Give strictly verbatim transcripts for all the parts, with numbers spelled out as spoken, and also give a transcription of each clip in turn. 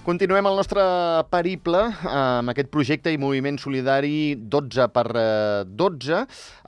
Continuem el nostre periple amb aquest projecte i moviment solidari dotze per dotze.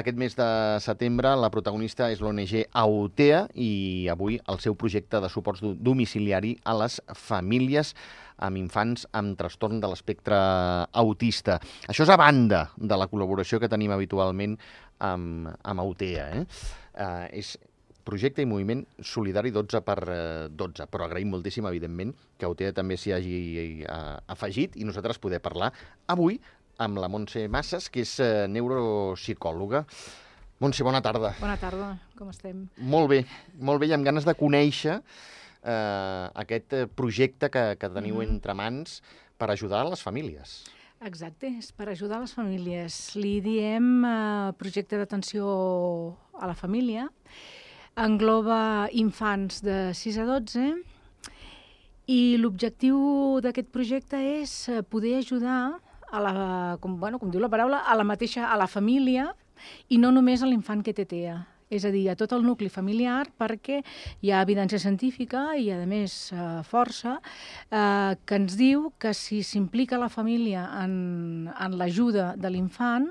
Aquest mes de setembre la protagonista és l'O N G Aotea i avui el seu projecte de suport domiciliari a les famílies amb infants amb trastorn de l'espectre autista. Això és a banda de la col·laboració que tenim habitualment amb, amb Aotea. Eh? Uh, és projecte i moviment solidari dotze per dotze, però agraïm moltíssim, evidentment, que Aotea també s'hi hagi uh, afegit i nosaltres poder parlar avui amb la Montse Massas, que és uh, neuropsicòloga. Montse, bona tarda. Bona tarda, com estem? Molt bé, molt bé, i amb ganes de conèixer uh, aquest projecte que, que teniu mm-hmm. entre mans per ajudar a les famílies. Exacte, és per ajudar les famílies. Li diem uh, projecte d'atenció a la família. Engloba infants de sis a dotze i l'objectiu d'aquest projecte és poder ajudar, a la, com, bueno, com diu la paraula, a la mateixa, a la família i no només a l'infant que té T E A. És a dir, a tot el nucli familiar, perquè hi ha evidència científica i, a més, eh, força, eh, que ens diu que si s'implica la família en, en l'ajuda de l'infant,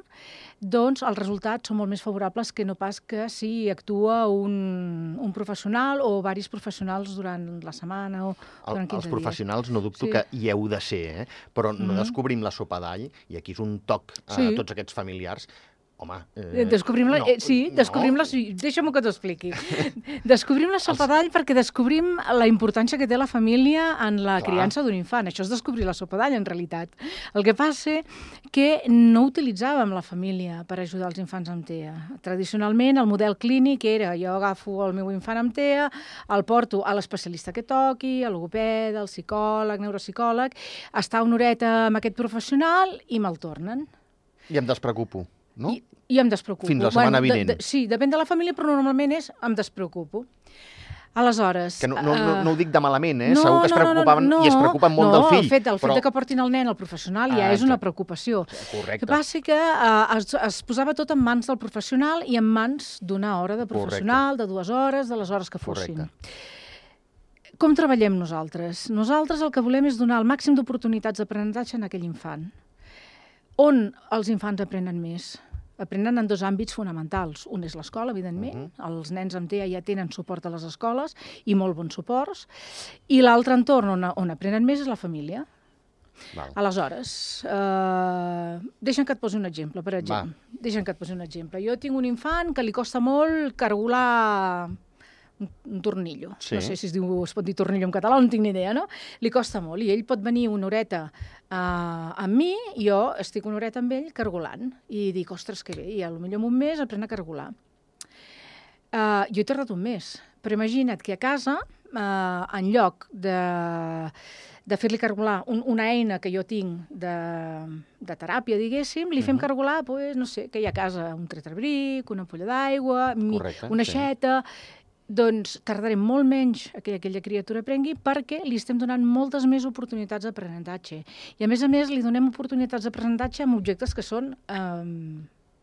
doncs els resultats són molt més favorables que no pas que si actua un, un professional o diversos professionals durant la setmana o durant quinze dies. Els professionals no dubto sí. que hi heu de ser, eh? Però no mm-hmm. descobrim la sopa d'all, i aquí és un toc a sí. tots aquests familiars. Home, eh... Descobrim la... no, eh, sí, descobrim no. la... Deixa'm que t'ho expliqui. Descobrim la sopa d'all perquè descobrim la importància que té la família en la Clar. criança d'un infant. Això és descobrir la sopa d'all, en realitat. El que passa que no utilitzàvem la família per ajudar els infants amb T E A. Tradicionalment, el model clínic era jo agafo el meu infant amb T E A, el porto a l'especialista que toqui, al logopeda, al psicòleg, neuropsicòleg, està una horeta amb aquest professional i me'l tornen. I em despreocupo. No? I, I em despreocupo. Fins la setmana bueno, vinent. De, de, sí, depèn de la família, però normalment és em despreocupo. Aleshores... Que no, no, no, no ho dic de malament, eh? No, Segur que es preocupaven no, no, no. i es preocupen molt no, del fill. El fet, el fet però... de que portin el nen al professional ja ah, és una preocupació. Correcte. El que passa que uh, es, es posava tot en mans del professional i en mans d'una hora de professional, Correcte. de dues hores, de les hores que fossin. Correcte. Com treballem nosaltres? Nosaltres el que volem és donar el màxim d'oportunitats d'aprenentatge en aquell infant. On els infants aprenen més? Aprenen en dos àmbits fonamentals. Un és l'escola, evidentment. Uh-huh. Els nens amb T E A ja tenen suport a les escoles i molt bons suports. I l'altre entorn on, on aprenen més és la família. Val. Aleshores, eh, deixa'm que et posi un exemple, per exemple. Va. Deixa'm que et posi un exemple. Jo tinc un infant que li costa molt cargolar un, un tornillo. Sí. No sé si es, diu, es pot dir tornillo en català, no tinc ni idea, no? Li costa molt. I ell pot venir una horeta uh, amb mi, i jo estic una horeta amb ell cargolant. I dic, ostres, que bé, i potser en un mes aprèn a cargolar. Uh, jo he tardat un mes, però imagina't que a casa, uh, en lloc de, de fer-li cargolar un, una eina que jo tinc de, de teràpia, diguéssim, li fem uh-huh. cargolar, pues, no sé, que hi ha a casa un tetrabric, una ampolla d'aigua, una aixeta... Sí. Doncs tardarem molt menys que aquella criatura aprengui perquè li estem donant moltes més oportunitats d'aprenentatge. I a més a més li donem oportunitats d'aprenentatge amb objectes que són eh,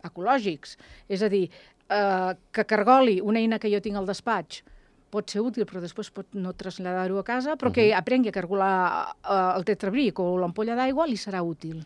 ecològics. És a dir, eh, que cargoli una eina que jo tinc al despatx pot ser útil, però després pot no traslladar-ho a casa, però uh-huh. que aprengui a cargolar eh, el tetrabric o l'ampolla d'aigua li serà útil.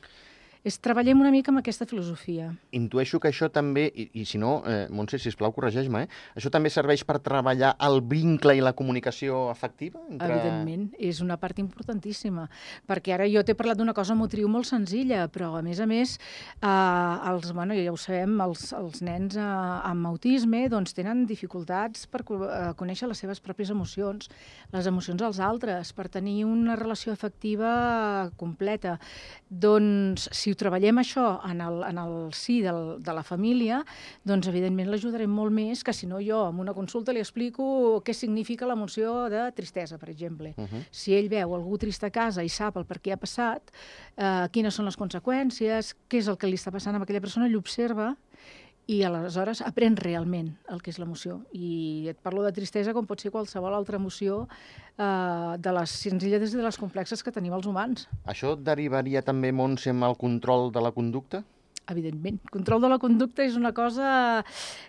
És treballem una mica amb aquesta filosofia. Intueixo que això també, i, i si no, eh, Montse, sisplau, corregeix-me, eh? Això també serveix per treballar el vincle i la comunicació afectiva? Entre... Evidentment, és una part importantíssima, perquè ara jo t'he parlat d'una cosa motriu molt senzilla, però a més a més, eh, els, bueno, ja ho sabem, els, els nens eh, amb autisme doncs, tenen dificultats per eh, conèixer les seves pròpies emocions, les emocions dels altres, per tenir una relació afectiva completa. Doncs, si ho treballem això en el, en el si del, de la família, doncs evidentment l'ajudarem molt més que si no jo en una consulta li explico què significa l'emoció de tristesa, per exemple. Uh-huh. Si ell veu algú trist a casa i sap el per què ha passat, eh, quines són les conseqüències, què és el que li està passant a aquella persona, ell observa i aleshores aprèn realment el que és l'emoció. I et parlo de tristesa com pot ser qualsevol altra emoció eh, de les senzilles i de les complexes que tenim els humans. Això derivaria també, Montse, amb el control de la conducta? Evidentment. El control de la conducta és una cosa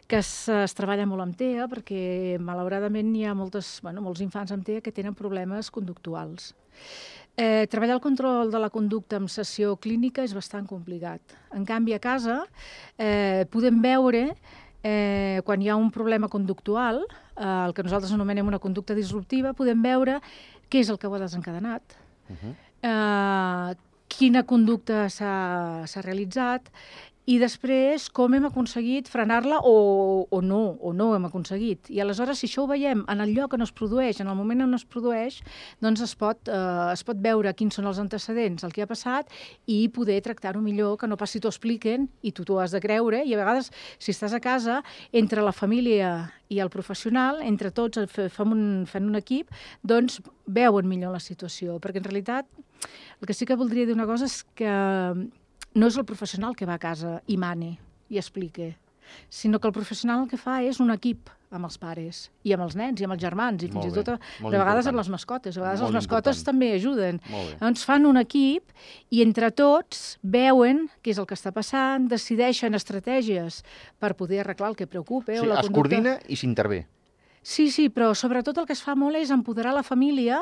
que es, es treballa molt amb T E A perquè, malauradament, hi ha moltes, bueno, molts infants amb T E A que tenen problemes conductuals. Eh, treballar el control de la conducta amb sessió clínica és bastant complicat. En canvi, a casa eh, podem veure, eh, quan hi ha un problema conductual, eh, el que nosaltres anomenem una conducta disruptiva, podem veure què és el que ho ha desencadenat, uh-huh. eh, quina conducta s'ha realitzat, i després com hem aconseguit frenar-la o, o no, o no hem aconseguit. I aleshores, si això ho veiem en el lloc on es produeix, en el moment on es produeix, doncs es pot, eh, es pot veure quins són els antecedents, el que ha passat, i poder tractar-ho millor, que no passi t'ho expliquen i tu t'ho has de creure. I a vegades, si estàs a casa, entre la família i el professional, entre tots fem un, fent un equip, doncs veuen millor la situació. Perquè en realitat, el que sí que voldria dir una cosa és que no és el professional que va a casa i mane i explica, sinó que el professional el que fa és un equip amb els pares i amb els nens i amb els germans i fins i tot de vegades amb les mascotes. A vegades les mascotes també ajuden. Doncs fan un equip i entre tots veuen què és el que està passant, decideixen estratègies per poder arreglar el que preocupa. Sí, es coordina i s'intervé. Sí, sí, però sobretot el que es fa molt és empoderar la família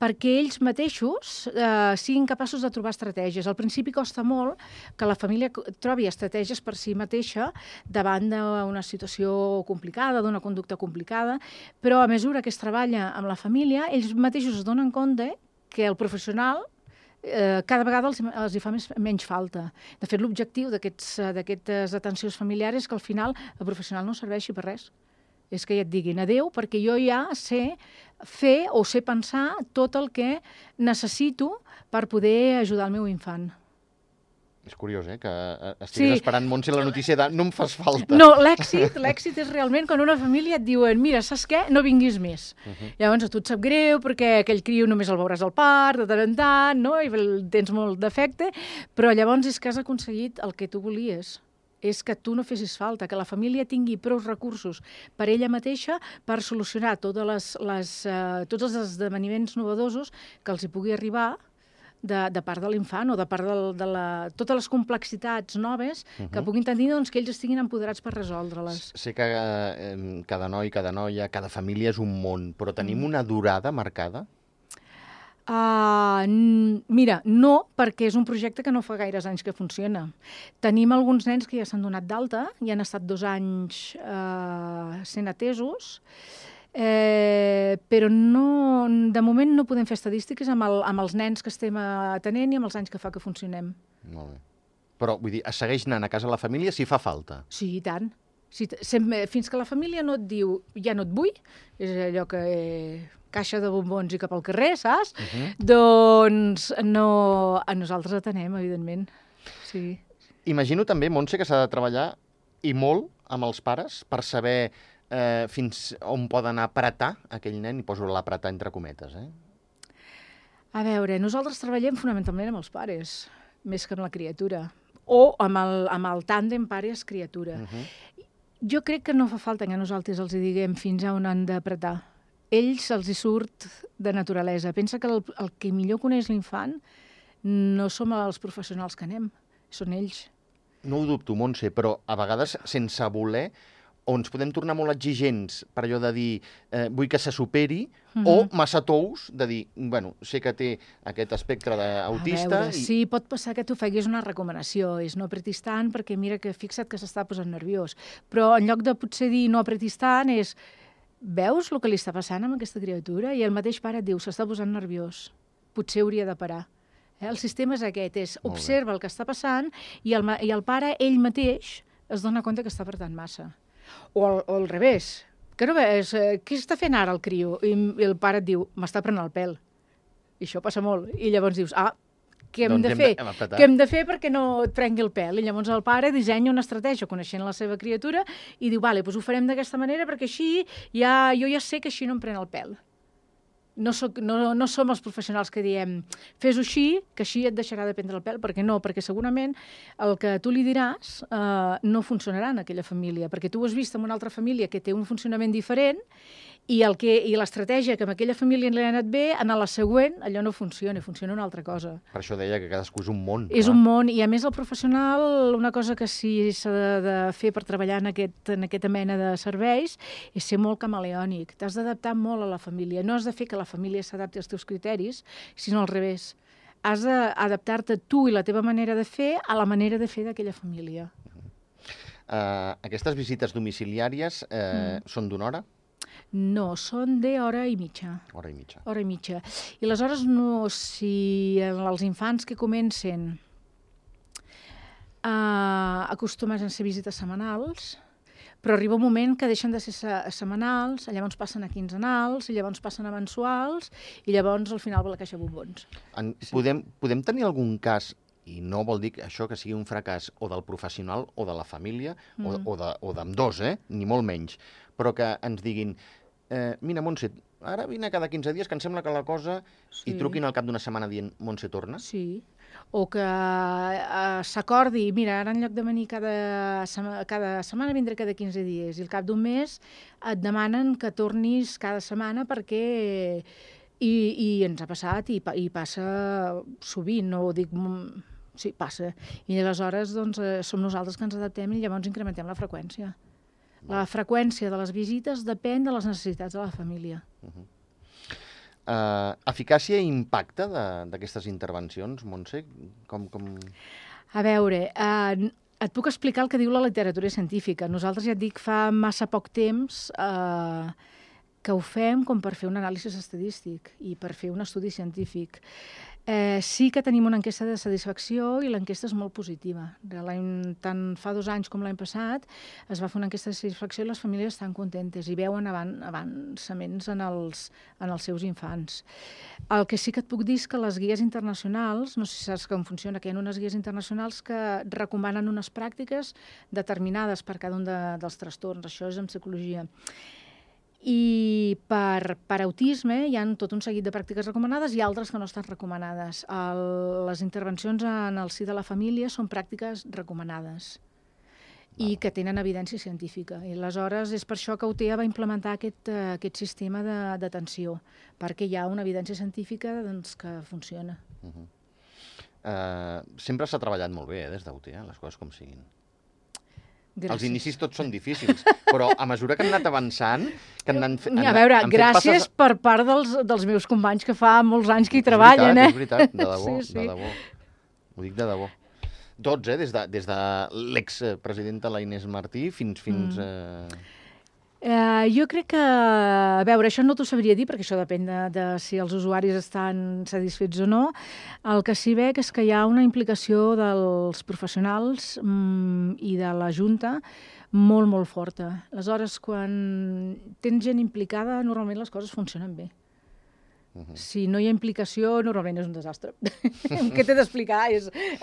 perquè ells mateixos eh, siguin capaços de trobar estratègies. Al principi costa molt que la família trobi estratègies per si mateixa davant d'una situació complicada, d'una conducta complicada, però a mesura que es treballa amb la família, ells mateixos es donen compte que el professional Eh, cada vegada els, els hi fa més, menys falta. De fet, l'objectiu d'aquestes atencions familiars és que al final el professional no serveixi per res. És que ja et diguin adéu perquè jo ja sé fer o sé pensar tot el que necessito per poder ajudar el meu infant. És curiós, eh, que estiguis sí. esperant, Montse, la notícia de no em fas falta. No, l'èxit l'èxit és realment quan una família et diuen mira, saps què? No vinguis més. Uh-huh. Llavors a tu et sap greu perquè aquell criu només el veuràs al parc, de tant en tant, no? I tens molt d'efecte, però llavors és que has aconseguit el que tu volies. És que tu no fessis falta, que la família tingui prou recursos per ella mateixa per solucionar totes les, les, uh, tots els esdeveniments novedosos que els hi pugui arribar de, de part de l'infant o de part de, de la, totes les complexitats noves uh-huh. que puguin tenir, doncs, que ells estiguin empoderats per resoldre-les. Sé que eh, cada noi, cada noia, cada família és un món, però tenim una durada marcada? Uh, mira, no, perquè és un projecte que no fa gaires anys que funciona. Tenim alguns nens que ja s'han donat d'alta i han estat dos anys uh, sent atesos, eh, però no, de moment no podem fer estadístiques amb, el, amb els nens que estem atenent i amb els anys que fa que funcionem. Molt bé. Però, vull dir, es segueix anant a casa la família si fa falta? Sí, i tant. Si, sempre, fins que la família no et diu ja no et vull, és allò que... Eh, caixa de bombons i cap al carrer, saps? Uh-huh. Doncs no, a nosaltres atenem, evidentment. Sí. Imagino també, Montse, que s'ha de treballar i molt amb els pares per saber eh, fins on poden apretar aquell nen, i poso l'apretar entre cometes, eh? A veure, nosaltres treballem fonamentalment amb els pares, més que amb la criatura, o amb el, amb el tàndem pares-criatura. Uh-huh. Jo crec que no fa falta que nosaltres els diguem fins a on han d'apretar. Ells els hi surt de naturalesa. Pensa que el, el que millor coneix l'infant no som els professionals que anem, són ells. No ho dubto, Montse, però a vegades sense voler o ens podem tornar molt exigents per allò de dir eh, vull que se superi, uh-huh. o massa tous de dir, bueno, sé que té aquest espectre d'autista... I... Sí, pot passar que tu facis una recomanació, és no apretis tant perquè mira que fixa't que s'està posant nerviós. Però en lloc de potser dir no apretis tant és veus el que li està passant amb aquesta criatura? I el mateix pare et diu, s'està posant nerviós, potser hauria de parar. Eh? El sistema és aquest, és observa el que està passant i el, i el pare, ell mateix, es dona compte que està apretant massa. O al, o al revés, que no ves, eh, què està fent ara el criu? I, i el pare et diu, m'està prenent el pèl. I això passa molt. I llavors dius, ah, què hem doncs de fer? Hem què hem de fer perquè no et prengui el pèl? I llavors el pare dissenya una estratègia coneixent la seva criatura i diu, vale, doncs ho farem d'aquesta manera perquè així ja, jo ja sé que així no em pren el pèl. No, soc, no, no som els professionals que diem fes-ho així, que així et deixarà de prendre el pèl, perquè no, perquè segurament el que tu li diràs eh, no funcionarà en aquella família, perquè tu ho has vist en una altra família que té un funcionament diferent i el que i l'estratègia que amb aquella família li ha anat bé, en la següent allò no funciona, funciona una altra cosa. Per això deia que cadascú és un món. És clar. Un món, i a més el professional, una cosa que sí s'ha de, de fer per treballar en, aquest, en aquesta mena de serveis és ser molt camaleònic, t'has d'adaptar molt a la família, no has de fer que la família s'adapti als teus criteris, sinó al revés. has d'adaptar-te tu i la teva manera de fer a la manera de fer d'aquella família. Uh, aquestes visites domiciliàries uh, mm. són d'una hora? No, són d'hora i mitja. Hora i mitja. Hora i mitja. I aleshores, no, si els infants que comencen uh, acostumen a ser visites setmanals, però arriba un moment que deixen de ser setmanals, llavors passen a quinzenals, i llavors passen a mensuals, i llavors al final va la caixa de bombons. En, sí. podem, podem tenir algun cas, i no vol dir això que sigui un fracàs o del professional o de la família, mm. o, o d'ambdós, eh? Ni molt menys, però que ens diguin, eh, mira, Montse, ara vine cada quinze dies, que em sembla que la cosa... Sí. I truquin al cap d'una setmana dient, Montse, torna? Sí. O que uh, s'acordi, mira, ara en lloc de venir cada, sema, cada setmana vindré cada quinze dies, i al cap d'un mes et demanen que tornis cada setmana perquè... I, i ens ha passat, i, i passa sovint, no ho dic... Sí, passa. I aleshores doncs, eh, som nosaltres que ens adaptem i llavors incrementem la freqüència. La freqüència de les visites depèn de les necessitats de la família. Uh -huh. uh, eficàcia i impacte d'aquestes intervencions, Montse? Com, com... A veure, eh, et puc explicar el que diu la literatura científica. Nosaltres, ja et dic, fa massa poc temps eh, que ho fem com per fer un anàlisi estadístic i per fer un estudi científic. Eh, sí que tenim una enquesta de satisfacció i l'enquesta és molt positiva. Tant fa dos anys com l'any passat es va fer una enquesta de satisfacció i les famílies estan contentes i veuen avan avançaments en els, en els seus infants. El que sí que et puc dir és que les guies internacionals, no sé si saps com funciona, que hi ha unes guies internacionals que recomanen unes pràctiques determinades per cada un de, dels trastorns. Això és en psicologia. I per, per autisme hi ha tot un seguit de pràctiques recomanades i altres que no estan recomanades. El, les intervencions en el si de la família són pràctiques recomanades i que tenen evidència científica. I aleshores és per això que U T E A va implementar aquest, uh, aquest sistema d'atenció, perquè hi ha una evidència científica doncs, que funciona. Uh -huh. uh, sempre s'ha treballat molt bé eh, des d'U T E A, les coses com siguin. Gràcies. Els inicis tots són difícils, però a mesura que han anat avançant... Que han anat, han, a veure, han gràcies passes... per part dels, dels meus companys que fa molts anys que hi treballen, veritat, eh? És veritat, de debò, sí, sí. de debò. Ho dic de debò. Tots, eh? Des de, des de l'expresidenta la Inés Martí fins... fins mm. eh... Uh, jo crec que, a veure, això no t'ho sabria dir, perquè això depèn de, de si els usuaris estan satisfets o no. El que sí veig és que hi ha una implicació dels professionals mm, i de la Junta molt, molt forta. Aleshores, quan tens gent implicada, normalment les coses funcionen bé. Uh-huh. Si no hi ha implicació, normalment és un desastre. Què t'he d'explicar?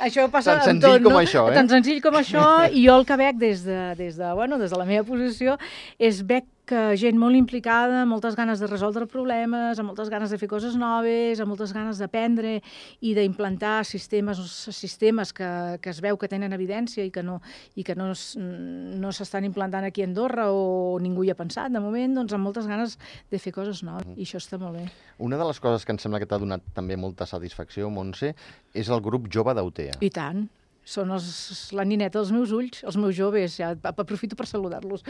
Això passa tan senzill tot, com no? això, eh? Tan senzill com això, i jo el que veig des de, des de, bueno, des de la meva posició és veig que gent molt implicada, amb moltes ganes de resoldre problemes, amb moltes ganes de fer coses noves, amb moltes ganes d'aprendre i d'implantar sistemes, sistemes que, que es veu que tenen evidència i que no, i que no, no s'estan implantant aquí a Andorra o ningú hi ha pensat de moment, doncs amb moltes ganes de fer coses noves, i això està molt bé. Una de les coses que em sembla que t'ha donat també molta satisfacció, Montse, és el grup jove d'U T E A. I tant. Són els, la nineta dels meus ulls, els meus joves, ja aprofito per saludar-los.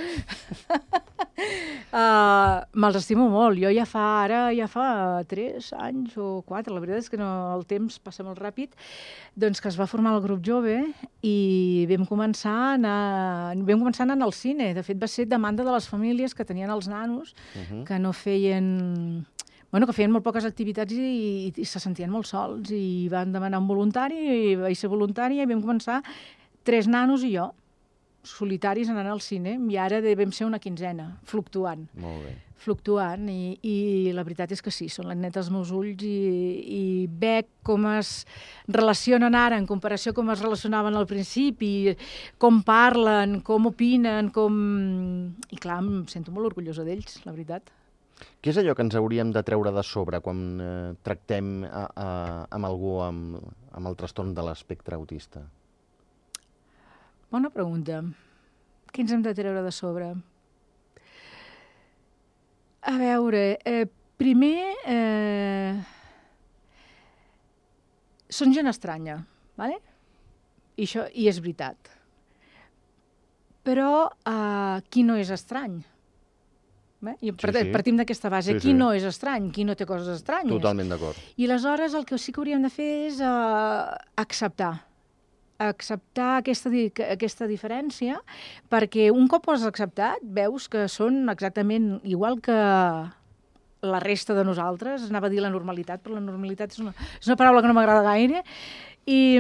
uh, Me'ls estimo molt. Jo ja fa ara, ja fa tres anys o quatre, la veritat és que no, el temps passa molt ràpid, doncs que es va formar el grup jove i vam començar a anar, vam començar a anar al cine. De fet, va ser demanda de les famílies que tenien els nanos, uh-huh. que no feien... Bueno, que feien molt poques activitats i, i, i se sentien molt sols i van demanar un voluntari i vaig ser voluntària i vam començar tres nanos i jo, solitaris anant al cine, i ara vam ser una quinzena, fluctuant. Molt bé. Fluctuant, i, i la veritat és que sí, són les netes dels meus ulls i, i veig com es relacionen ara en comparació a com es relacionaven al principi, com parlen, com opinen, com... I clar, em sento molt orgullosa d'ells, la veritat. Què és allò que ens hauríem de treure de sobre quan eh, tractem a, a, amb algú amb, amb el trastorn de l'espectre autista? Bona pregunta. Què ens hem de treure de sobre? A veure, eh, primer, eh, són gent estranya, ¿vale? I, això, i és veritat. Però eh, qui no és estrany? Eh? I sí, sí. Partim d'aquesta base. Sí, qui sí. no és estrany? Qui no té coses estranyes? Totalment d'acord. I aleshores el que sí que hauríem de fer és uh, acceptar. acceptar aquesta, aquesta diferència, perquè un cop ho has acceptat, veus que són exactament igual que la resta de nosaltres. Anava a dir la normalitat, però la normalitat és una, és una paraula que no m'agrada gaire, i,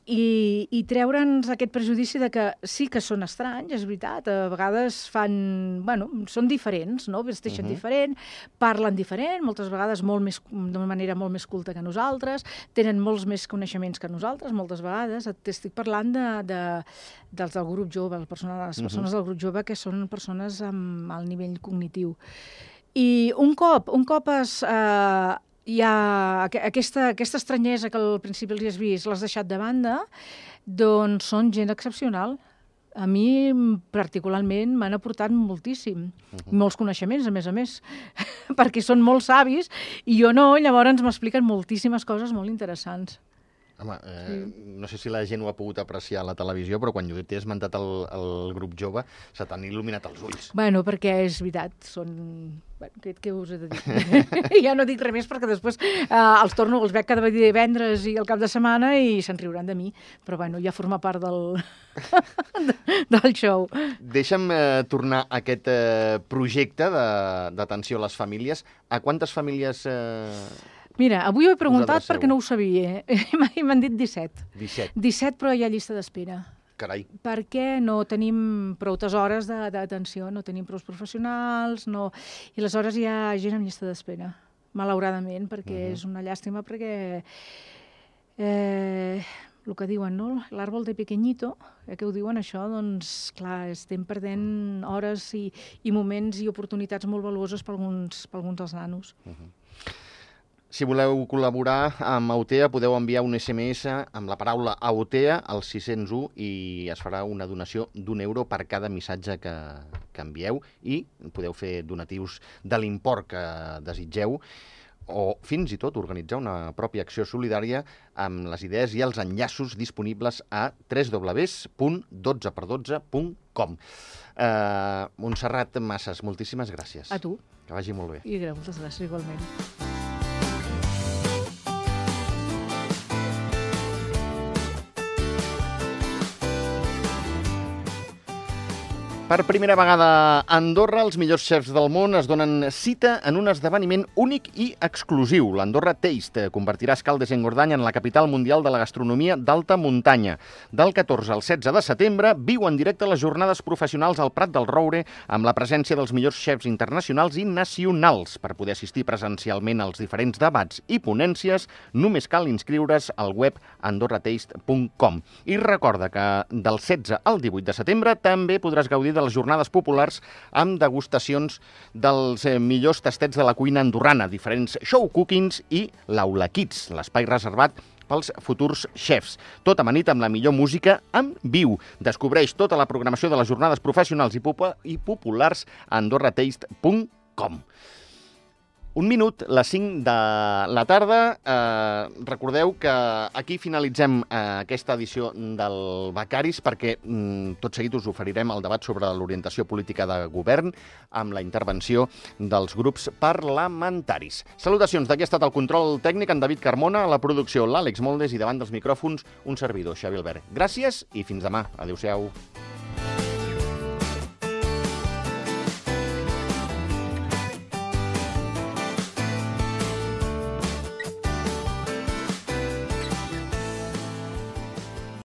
i, i treure'ns aquest prejudici de que sí que són estranys, és veritat, a vegades fan, bueno, són diferents, no? Vesteixen uh-huh. diferent, parlen diferent, moltes vegades molt més, d'una manera molt més culta que nosaltres, tenen molts més coneixements que nosaltres, moltes vegades. Estic parlant de, de, dels del grup jove, les persones, les persones uh-huh. del grup jove, que són persones amb alt nivell cognitiu. I un cop, un cop es... Eh, hi ha aquesta, aquesta estranyesa que al principi els has vist, l'has deixat de banda, doncs són gent excepcional. A mi, particularment, m'han aportat moltíssim. Uh-huh. Molts coneixements, a més a més, perquè són molt savis i jo no, llavors m'expliquen moltíssimes coses molt interessants. Home, eh, sí. no sé si la gent ho ha pogut apreciar a la televisió, però quan jo t'he esmentat el, el grup jove, se t'han il·luminat els ulls. Bueno, perquè és veritat, són... Bueno, què, què us he de dir? Ja no dic res més perquè després eh, els torno, els veig cada divendres i al cap de setmana i se'n riuran de mi, però bueno, ja forma part del, del show. Deixa'm eh, tornar a aquest eh, projecte d'atenció a les famílies. A quantes famílies... Eh... Mira, avui ho he preguntat perquè no ho sabia. I m'han dit disset. disset. disset, però hi ha llista d'espera. Carai. Perquè no tenim prou hores d'atenció, no tenim prou professionals, no... I aleshores hi ha gent amb llista d'espera, malauradament, perquè uh-huh. és una llàstima, perquè eh, el que diuen, no? L'àrbol de pequeñito, eh, que ho diuen això, doncs, clar, estem perdent hores i, i moments i oportunitats molt valuoses per alguns, per alguns dels nanos. Uh-huh. Si voleu col·laborar amb Autea, podeu enviar un esse eme esse amb la paraula Autea al sis cents u i es farà una donació d'un euro per cada missatge que, que envieu i podeu fer donatius de l'import que desitgeu o fins i tot organitzar una pròpia acció solidària amb les idees i els enllaços disponibles a w w w punt dotze per dotze punt com. Uh, Montserrat Massas, moltíssimes gràcies. A tu. Que vagi molt bé. I moltes gràcies, igualment. Per primera vegada a Andorra, els millors xefs del món es donen cita en un esdeveniment únic i exclusiu. L'Andorra Taste convertirà Escaldes i Engordany en la capital mundial de la gastronomia d'alta muntanya. Del catorze al setze de setembre viu en directe les jornades professionals al Prat del Roure amb la presència dels millors xefs internacionals i nacionals. Per poder assistir presencialment als diferents debats i ponències, només cal inscriure's al web andorra taste punt com. I recorda que del setze al divuit de setembre també podràs gaudir de les jornades populars amb degustacions dels eh, millors tastets de la cuina andorrana, diferents show cookings i l'Aula Kids, l'espai reservat pels futurs xefs. Tot amanit amb la millor música en viu. Descobreix tota la programació de les jornades professionals i, pop i populars a andorra taste punt com. Un minut, les cinc de la tarda. Eh, recordeu que aquí finalitzem eh, aquesta edició del Becaris perquè mm, tot seguit us oferirem el debat sobre l'orientació política de govern amb la intervenció dels grups parlamentaris. Salutacions, d'aquí ha estat el control tècnic en David Carmona, a la producció l'Àlex Moldes i davant dels micròfons un servidor, Xavi Albert. Gràcies i fins demà. Adéu-siau.